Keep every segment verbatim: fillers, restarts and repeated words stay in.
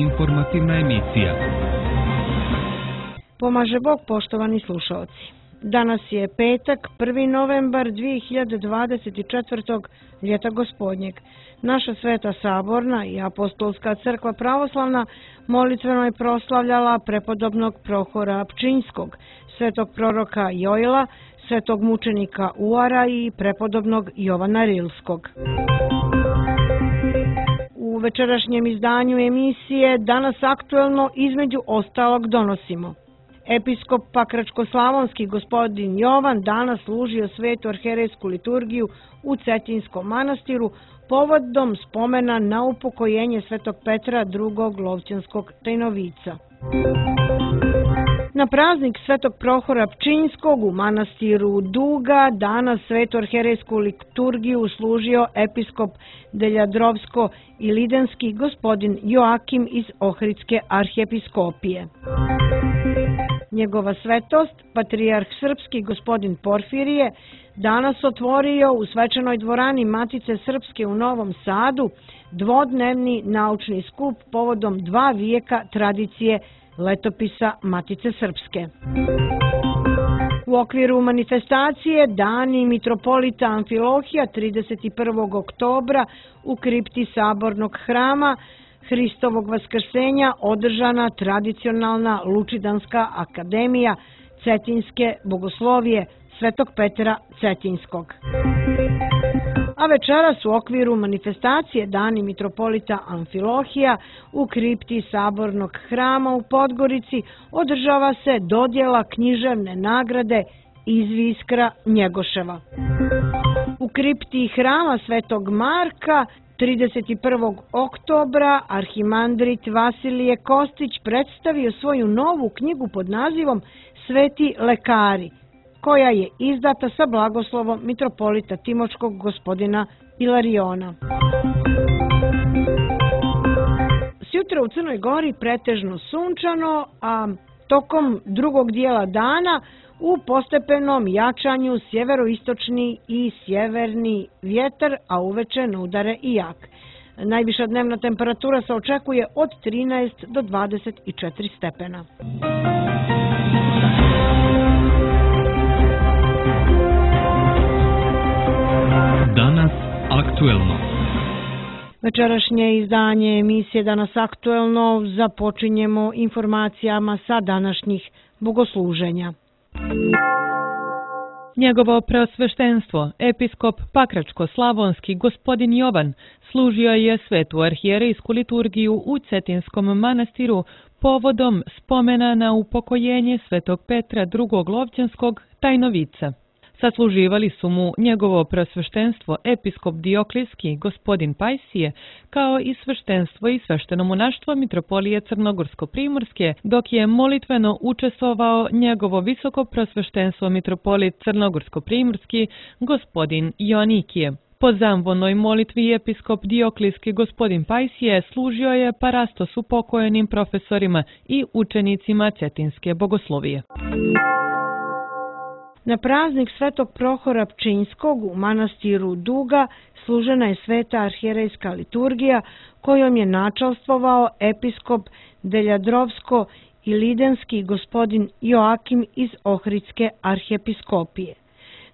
Informativna emisija. Pomaže Bog, poštovani slušalci. Danas je petak, prvi novembar dvije hiljade dvadeset četvrtog. ljeta gospodnjeg. Naša Sveta Saborna i Apostolska crkva pravoslavna molitveno je proslavljala prepodobnog Prohora Pčinjskog, svetog proroka Joila, svetog mučenika Uara i prepodobnog Jovana Rilskog. U večerašnjem izdanju emisije danas aktuelno između ostalog donosimo: Episkop Pakračko-slavonski gospodin Jovan danas služio svetu arherejsku liturgiju u Cetinskom manastiru povodom spomena na upokojenje svetog Petra drugog Lovćanskog tajnovica. Na praznik svetog Prohora Pčinjskog u manastiru Duga danas svetu arherejsku liturgiju služio episkop Deljadrovsko i Lidenski gospodin Joakim iz Ohridske arhijepiskopije. Njegova svetost, patrijarh srpski gospodin Porfirije, danas otvorio u svečanoj dvorani Matice Srpske u Novom Sadu dvodnevni naučni skup povodom dva vijeka tradicije letopisa Matice Srpske. U okviru manifestacije Dani mitropolita Amfilohija trideset prvog oktobra u kripti Sabornog hrama Hristovog vaskrsenja održana tradicionalna Lučidanska akademija Cetinske bogoslovije svetog Petra Cetinskog. A večeras u okviru manifestacije Dani mitropolita Amfilohija u kripti Sabornog hrama u Podgorici održava se dodjela književne nagrade Izviskra Njegoševa. U kripti hrama Svetog Marka trideset prvog oktobra arhimandrit Vasilije Kostić predstavio svoju novu knjigu pod nazivom Sveti lekari, koja je izdata sa blagoslovom mitropolita Timočkog gospodina Ilariona. Sjutra u Crnoj Gori pretežno sunčano, a tokom drugog dijela dana u postepenom jačanju sjeveroistočni i sjeverni vjetar, a uveče na udare i jak. Najviša dnevna temperatura se očekuje od trinaest do dvadeset četiri stepena. Danas aktuelno. Večerašnje izdanje emisije Danas aktuelno započinjemo informacijama sa današnjih bogosluženja. Njegovo preosveštenstvo, episkop Pakračko-slavonski gospodin Jovan, služio je svetu arhijerejsku liturgiju u Cetinskom manastiru povodom spomena na upokojenje svetog Petra drugog Lovćanskog tajnovica. Sasluživali su mu njegovo preosveštenstvo episkop Dioklijski gospodin Pajsije, kao i sveštenstvo i svešteno monaštvo mitropolije Crnogorsko-primorske, dok je molitveno učestvovao njegovo visoko preosveštenstvo mitropolit Crnogorsko-primorski gospodin Joanikije. Po zamvonoj molitvi episkop Dioklijski gospodin Pajsije služio je parastos upokojenim profesorima i učenicima Cetinske bogoslovije. Na praznik svetog Prohora Pčinjskog u manastiru Duga služena je sveta arhijerejska liturgija kojom je načalstvovao episkop Deljadrovsko i Lidenski gospodin Joakim iz Ohridske arhijepiskopije.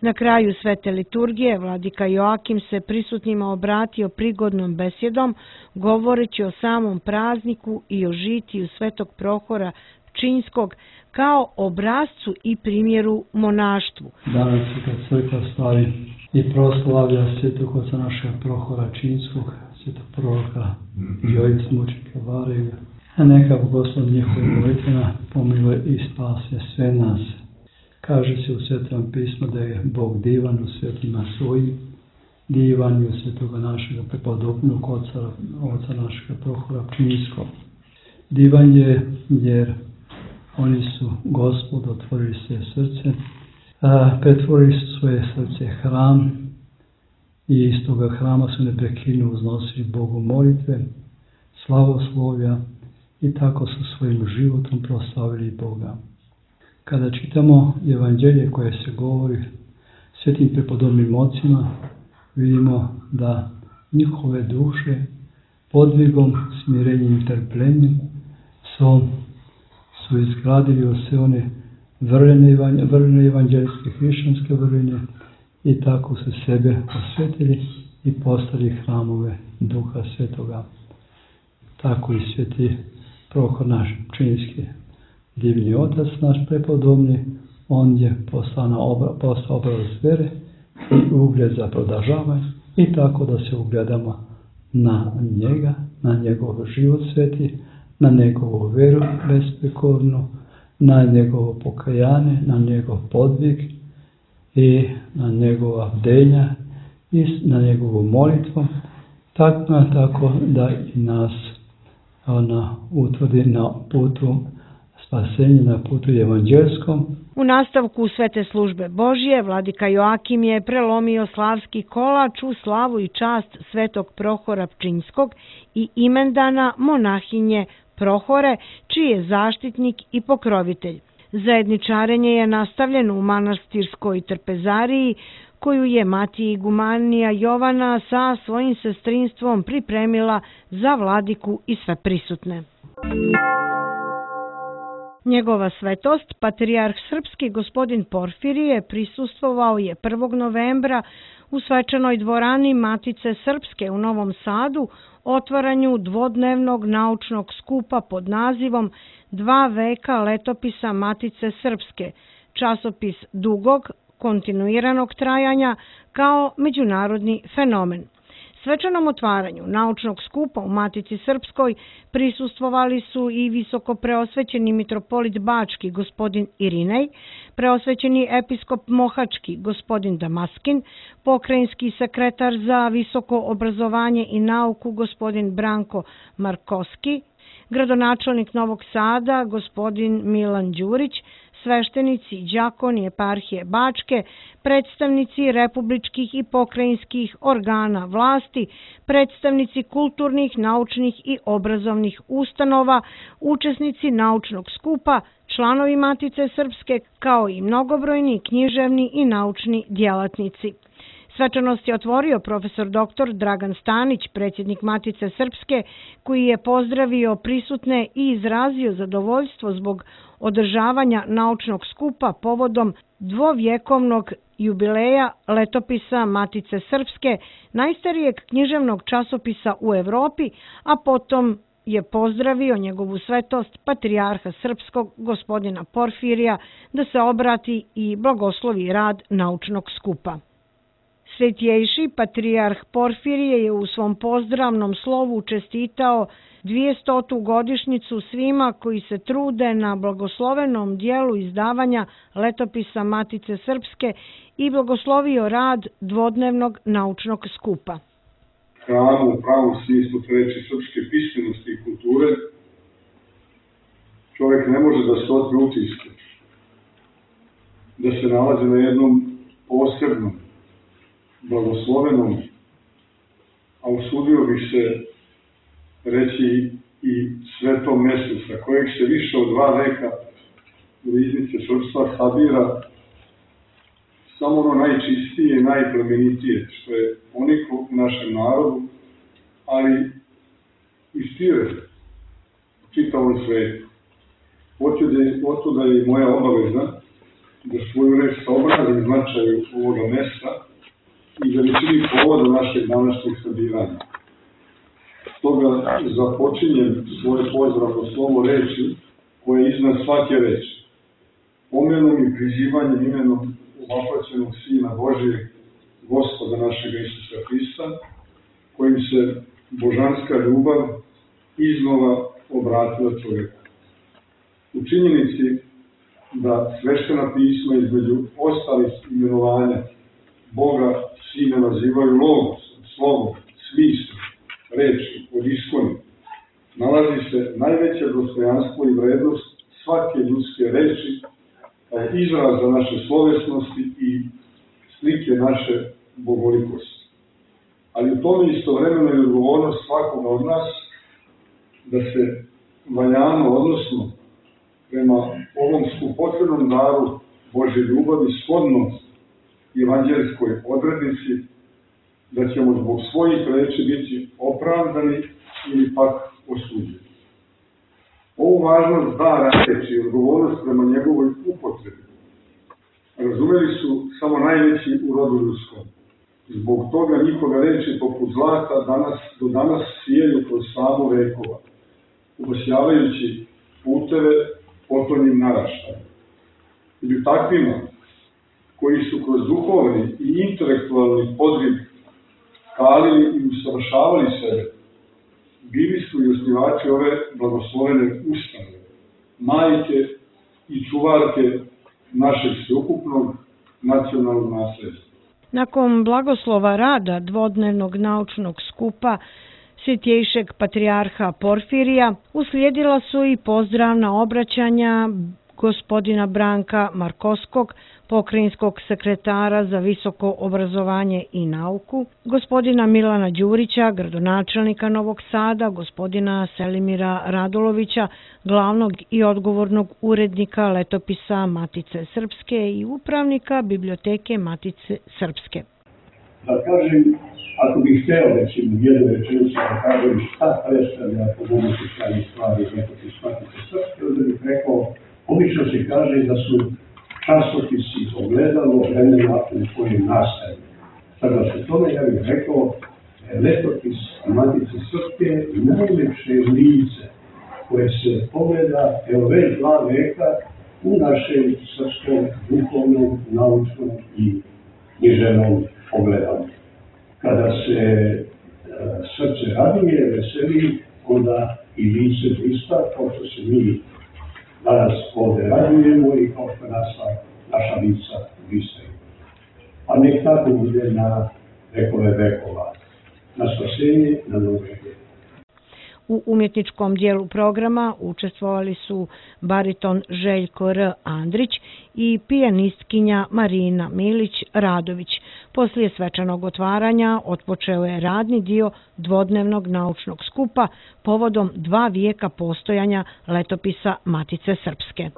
Na kraju svete liturgije vladika Joakim se prisutnima obratio prigodnom besjedom, govoreći o samom prazniku i o žitiju svetog Prohora Pčinjskog kao obrazcu i primjeru monaštvu. Danas kad crkva slavi i proslavlja svetog oca našeg Prohora Pčinjskog, svetog proroka Jojica mučenika Varega, a neka blagoslov njihove molitvena pomiluje i spase sve nas. Kaže se u Svetom pismu da je Bog divan u svetima svojim, divan je u svetoga našega prepodobnog oca, oca našega Prohora Pčinjskog. Divan je jer oni su Gospod otvorili svoje srce, a, pretvorili su svoje srce hram i iz toga hrama su neprekidno uznosili Bogu molitve, slavoslovlja i tako su svojim životom proslavili Boga. Kada čitamo evanđelje koje se govori svetim prepodobnim ocima, vidimo da njihove duše podvigom, smirenjem i trpljenjem su, su izgradili sve one vrline, vrline evanđelske, hrišćanske vrline i tako su sebe osvetili i postali hramove Duha Svetoga. Tako i sveti Prohor naš činski divni otac, naš prepodobni, on je postao, na obra, postao obraz vere i ugled za podržavanje i tako da se ugledamo na njega, na njegov život sveti, na njegovu veru besprekornu, na njegovo pokajanje, na njegov podvig i na njegova bdenja i na njegovu molitvu, tako, tako da i nas ona utvrdi na putu spasenja, na putu evanđelskom. U nastavku Svete službe Božje, vladika Joakim je prelomio slavski kolač u slavu i čast svetog Prohora Pčinjskog i imendana monahinje Prohore, čiji je zaštitnik i pokrovitelj. Zajedničarenje je nastavljeno u manastirskoj trpezariji, koju je mati igumanija Jovana sa svojim sestrinstvom pripremila za vladiku i sve prisutne. Njegova svetost, patrijarh srpski gospodin Porfirije, prisustvovao je prvog novembra u svečanoj dvorani Matice Srpske u Novom Sadu otvaranju dvodnevnog naučnog skupa pod nazivom Dva veka letopisa Matice Srpske, časopis dugog, kontinuiranog trajanja kao međunarodni fenomen. Svečanom otvaranju naučnog skupa u Matici Srpskoj prisustvovali su i visoko preosvećeni mitropolit Bački gospodin Irinej, preosvećeni episkop Mohački gospodin Damaskin, pokrajinski sekretar za visoko obrazovanje i nauku gospodin Branko Markovski, gradonačelnik Novog Sada gospodin Milan Đurić, sveštenici i đakoni eparhije Bačke, predstavnici republičkih i pokrajinskih organa vlasti, predstavnici kulturnih, naučnih i obrazovnih ustanova, učesnici naučnog skupa, članovi Matice Srpske, kao i mnogobrojni književni i naučni djelatnici. Svečanost je otvorio profesor doktor Dragan Stanić, predsjednik Matice Srpske, koji je pozdravio prisutne i izrazio zadovoljstvo zbog održavanja naučnog skupa povodom dvovjekovnog jubileja letopisa Matice Srpske, najstarijeg književnog časopisa u Evropi, a potom je pozdravio njegovu svetost patrijarha srpskog gospodina Porfirija da se obrati i blagoslovi rad naučnog skupa. Svetjejši patrijarh Porfirije je u svom pozdravnom slovu čestitao dvijestotu godišnjicu svima koji se trude na blagoslovenom dijelu izdavanja letopisa Matice Srpske i blagoslovio rad dvodnevnog naučnog skupa. Hramu u pravom smislu reči srpske pismenosti i kulture čovjek ne može da se otme utisku, da se nalazi na jednom posebnom, blagoslovenom, a usudio bih se reći i svetom mjestu sa kojeg se više od dva veka u riznice srpstva sabira samo ono najčistije i najplemenitije što je uniklo u našem narodu, ali i šire u čitavom svetu. Otuda je i moja obaveza da svoju reč saobrazim značaju ovoga mjesta i veličini povoda našeg današnjeg sabiranja. Stoga započinjem svoje pozdravno slovo reči koje je iznad svake reči. Pomenom i prizivanjem imenom uvapaćenog Sina Božijeg, Gospoda našega Isusa Hrista, kojim se božanska ljubav iznova obratila čovjeku. U činjenici da sveštena pisma između ostalih imenovanja Boga Sine nazivaju logosom, slovom, smislom, reči, od iskoni, nalazi se najveće dostojanstvo i vrednost svake ljudske reči, kao izraz za naše slovesnosti i slike naše bogolikosti. Ali u tome istovremeno je odgovornost svakoga od nas da se valjano, odnosno prema ovom skupotrebnom daru Božje ljubavi shodno evanđelskoj odrednici, da ćemo zbog svojih reči biti opravdani ili pak osuđen. Ovu važnost dara reči i odgovornost prema njegovoj upotrebi razumeli su samo najveći u rodu ljudskom. Zbog toga njihove reči poput zlata danas, do danas sijaju kroz samu vekova, obasjavajući puteve potonjim naraštajima. Među takvima, koji su kroz duhovni i intelektualni podvig kalili i usavršavali sebe, bili su i osnivači ove blagoslovene ustanove, majke i čuvarke našeg sveukupnog nacionalnog nasljedstva. Nakon blagoslova rada dvodnevnog naučnog skupa Svjetejšeg patrijarha Porfirija uslijedila su i pozdravna obraćanja gospodina Branka Markovskog, pokrajinskog sekretara za visoko obrazovanje i nauku, gospodina Milana Đurića, gradonačelnika Novog Sada, gospodina Selimira Radulovića, glavnog i odgovornog urednika letopisa Matice Srpske i upravnika biblioteke Matice Srpske. Da kažem, ako bih hteo recimo jednu rečenicu da kažem šta predstavlja po mogući stvari stvari letopis Matice Srpske, onda bih rekao, obično se kaže da su časopisi ogledalo vremena u kojem nastaje. Sada se tome ja bih rekao, letopis Matice Srpske najlepše lice koje se pogleda evo već dva veka u našem srpskom duhovnom, naučnom i književnom ogledalu. Kada se e, srce raduje, veseli, onda i lice blista, kao što se mi danas ovdje radujemo i kao što naša, naša lica blistaju. A nek tako bude na vekove vekova, na spasenje, na nove veke. U umjetničkom dijelu programa učestvovali su bariton Željko R. Andrić i pijanistkinja Marina Milić-Radović. Poslije svečanog otvaranja otpočeo je radni dio dvodnevnog naučnog skupa povodom dva vijeka postojanja letopisa Matice Srpske.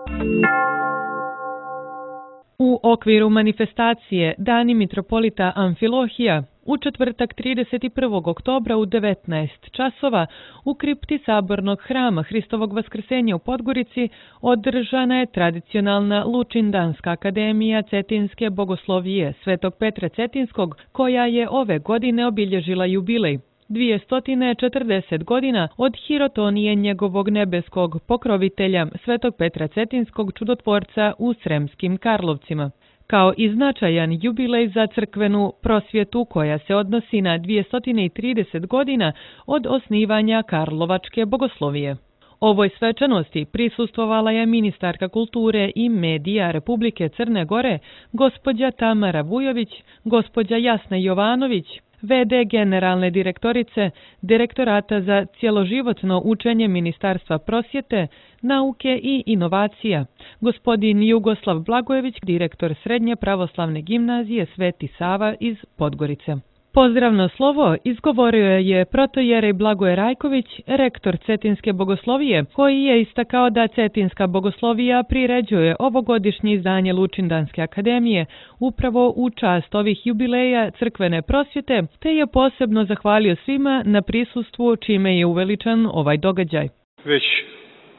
U okviru manifestacije Dani mitropolita Amfilohija u četvrtak trideset prvog oktobra u devetnaest časova u kripti Sabornog hrama Hristovog vaskrsenja u Podgorici održana je tradicionalna Lučindanska akademija Cetinske bogoslovije Svetog Petra Cetinskog, koja je ove godine obilježila jubilej. dvjesto četrdeset godina od hirotonije njegovog nebeskog pokrovitelja Svetog Petra Cetinskog čudotvorca u Sremskim Karlovcima. Kao i značajan jubilej za crkvenu prosvjetu koja se odnosi na dvjesto trideset godina od osnivanja Karlovačke bogoslovije. Ovoj svečanosti prisustvovala je ministarka kulture i medija Republike Crne Gore, gospođa Tamara Vujović, gospođa Jasna Jovanović, ve de generalne direktorice Direktorata za cjeloživotno učenje Ministarstva prosvjete, nauke i inovacija, gospodin Jugoslav Blagojević, direktor Srednje pravoslavne gimnazije Sveti Sava iz Podgorice. Pozdravno slovo izgovorio je protojerej Blagoje Rajković, rektor Cetinske bogoslovije, koji je istakao da Cetinska bogoslovija priređuje ovogodišnje izdanje Lučindanske akademije upravo u čast ovih jubileja crkvene prosvjete, te je posebno zahvalio svima na prisustvu čime je uveličan ovaj događaj. Već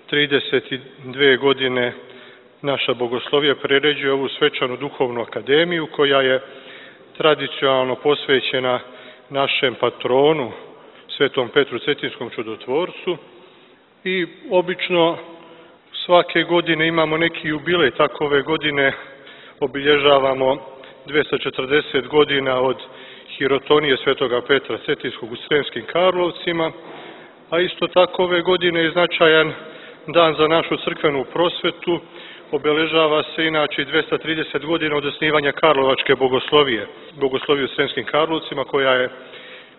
trideset dvije godine naša bogoslovija priređuje ovu svečanu duhovnu akademiju koja je tradicionalno posvećena našem patronu, Svetom Petru Cetinskom čudotvorcu, i obično svake godine imamo neki jubilej. Tako ove godine obilježavamo dvjesto četrdeset godina od hirotonije Svetoga Petra Cetinskog u Sremskim Karlovcima, a isto tako ove godine je značajan dan za našu crkvenu prosvetu. Obeležava se inače dvjesto trideset godina od osnivanja Karlovačke bogoslovije, bogoslovije u Sremskim Karlovcima, koja je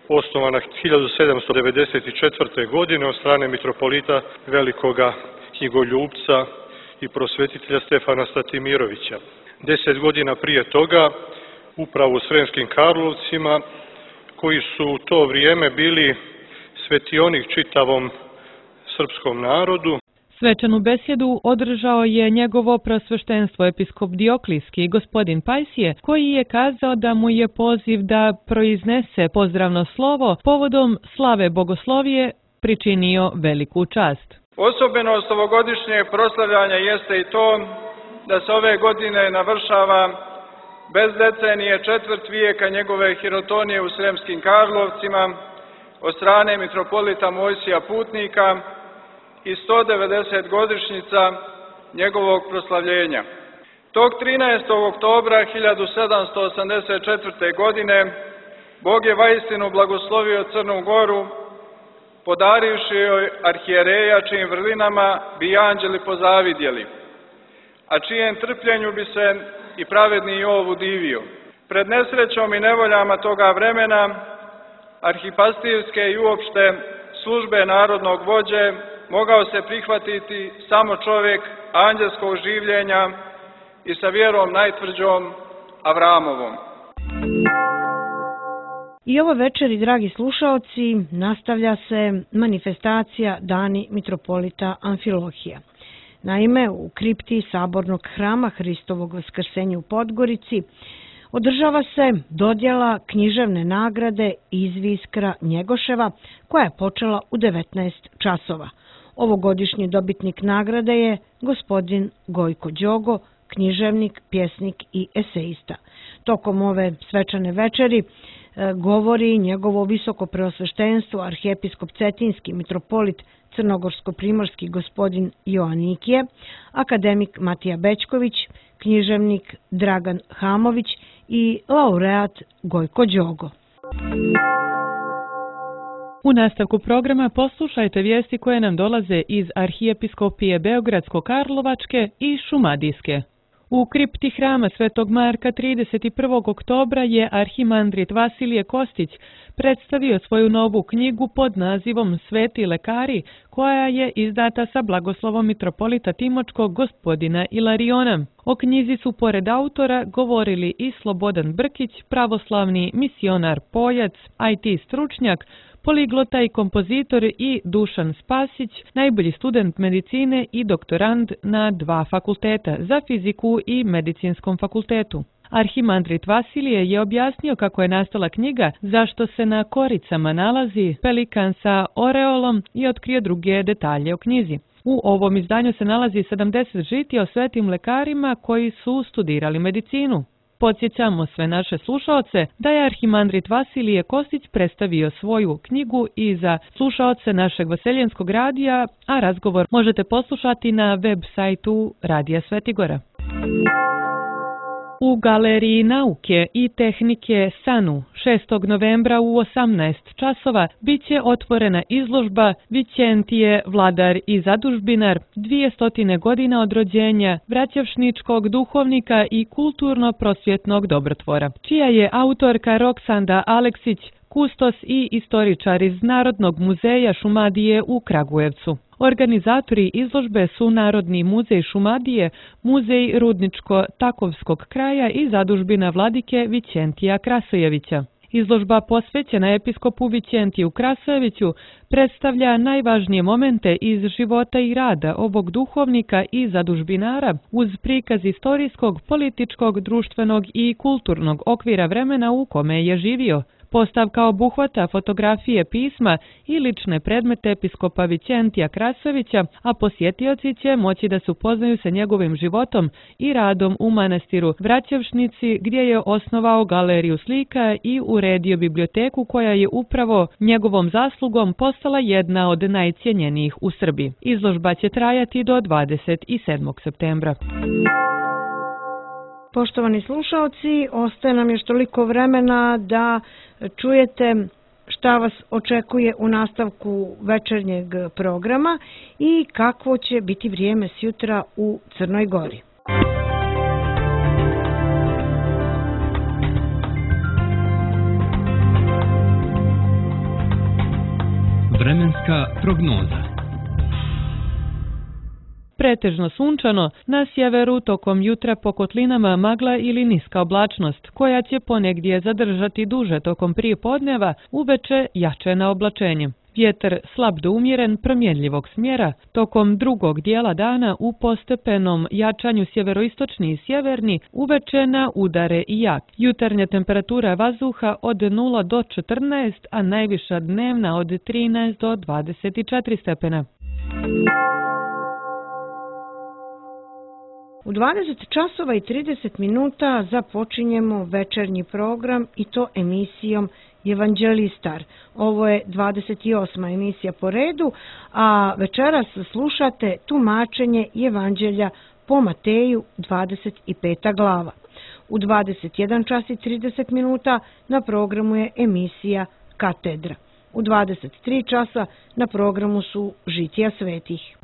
osnovana hiljadu sedamsto devedeset četvrte. godine od strane mitropolita velikoga knjigoljupca i prosvetitelja Stefana Statimirovića. Deset godina prije toga, upravo u Sremskim Karlovcima, koji su u to vrijeme bili svetionik čitavom srpskom narodu, svečanu besjedu održao je njegovo prosveštenstvo episkop Dioklijski gospodin Pajsije, koji je kazao da mu je poziv da proiznese pozdravno slovo povodom slave bogoslovije pričinio veliku čast. Osobenost ovogodišnjeg proslavljanja jeste i to da se ove godine navršava bez decenije četvrt vijeka njegove hirotonije u Sremskim Karlovcima od strane mitropolita Mojsija Putnika i sto devedeset godišnjica njegovog proslavljenja. Tog trinaestog oktobra hiljadu sedamsto osamdeset četvrte. godine Bog je vaistinu blagoslovio Crnu Goru, podarivši joj arhijereja čijim vrlinama bi anđeli pozavidjeli, a čijem trpljenju bi se i pravedni Jov udivio. Pred nesrećom i nevoljama toga vremena, arhipastirske i uopšte službe narodnog vođe mogao se prihvatiti samo čovjek anđelskog življenja i sa vjerom najtvrđom Avramovom. I ovo večeri, dragi slušaoci, nastavlja se manifestacija Dani mitropolita Amfilohija. Naime, u kripti Sabornog hrama Hristovog vaskrsenja u Podgorici održava se dodjela književne nagrade Izviskra Njegoševa, koja je počela u devetnaest časova. Ovogodišnji dobitnik nagrade je gospodin Gojko Đogo, književnik, pjesnik i esejista. Tokom ove svečane večeri govori njegovo visoko preosveštenstvo arhijepiskop Cetinski mitropolit Crnogorsko-primorski gospodin Joanikije, akademik Matija Bećković, književnik Dragan Hamović i laureat Gojko Đogo. U nastavku programa poslušajte vijesti koje nam dolaze iz Arhijepiskopije Beogradsko-Karlovačke i Šumadijske. U kripti hrama Svetog Marka trideset prvog oktobra je arhimandrit Vasilije Kostić predstavio svoju novu knjigu pod nazivom Sveti lekari, koja je izdata sa blagoslovom mitropolita Timočkog gospodina Ilariona. O knjizi su pored autora govorili i Slobodan Brkić, pravoslavni misionar Poljac, I T stručnjak, poliglota i kompozitor, i Dušan Spasić, najbolji student medicine i doktorand na dva fakulteta, za fiziku i medicinskom fakultetu. Arhimandrit Vasilije je objasnio kako je nastala knjiga, zašto se na koricama nalazi pelikan sa oreolom i otkrio druge detalje o knjizi. U ovom izdanju se nalazi sedamdeset žitija o svetim lekarima koji su studirali medicinu. Podsjećamo sve naše slušaoce da je arhimandrit Vasilije Kostić predstavio svoju knjigu i za slušaoce našeg Vaseljenskog radija, a razgovor možete poslušati na web sajtu Radija Svetigora. U Galeriji nauke i tehnike Sanu šestog novembra u osamnaest časova biće otvorena izložba Vićentije, vladar i zadužbinar, dvije godina od rođenja vraćevšničkog duhovnika i kulturno-prosvjetnog dobrotvora, čija je autorka Roksanda Aleksić, kustos i istoričar iz Narodnog muzeja Šumadije u Kragujevcu. Organizatori izložbe su Narodni muzej Šumadije, Muzej Rudničko-Takovskog kraja i zadužbina vladike Vićentija Krasojevića. Izložba posvećena episkopu Vićentiju Krasojeviću predstavlja najvažnije momente iz života i rada ovog duhovnika i zadužbinara uz prikaz istorijskog, političkog, društvenog i kulturnog okvira vremena u kome je živio. Postavka obuhvata fotografije pisma i lične predmete episkopa Vićentija Krasojevića, a posjetioci će moći da se upoznaju sa njegovim životom i radom u manastiru Vraćevšnici, gdje je osnovao galeriju slika i uredio biblioteku koja je upravo njegovom zaslugom postala jedna od najcijenjenijih u Srbiji. Izložba će trajati do dvadeset sedmog septembra. Poštovani slušaoci, ostaje nam još toliko vremena da čujete šta vas očekuje u nastavku večernjeg programa i kakvo će biti vrijeme sjutra u Crnoj Gori. Vremenska prognoza. Pretežno sunčano, na sjeveru tokom jutra po kotlinama magla ili niska oblačnost, koja će ponegdje zadržati duže tokom prije podneva, uveče jače na oblačenje. Vjetar slab do umjeren promjenljivog smjera, tokom drugog dijela dana u postepenom jačanju sjeveroistočni i sjeverni, uveče na udare i jak. Jutarnja temperatura vazduha od nula do četrnaest, a najviša dnevna od trinaest do dvadeset četiri stepena. U dvadeset časova i trideset minuta započinjemo večernji program i to emisijom Evanđelistar. Ovo je dvadeset osma emisija po redu, a večeras slušate tumačenje Evanđelja po Mateju, dvadeset peta glava. U dvadeset jedan čas i trideset minuta na programu je emisija Katedra. U dvadeset tri časa na programu su Žitija svetih.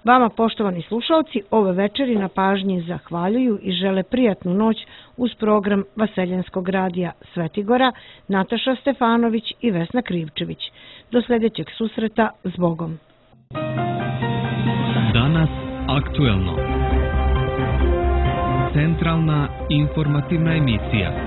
Vama, poštovani slušalci, ove večeri na pažnji zahvaljuju i žele prijatnu noć uz program Vaseljenskog radija Svetigora, Nataša Stefanović i Vesna Krivčević. Do sljedećeg susreta, s Bogom. Danas aktuelno. Centralna informativna emisija.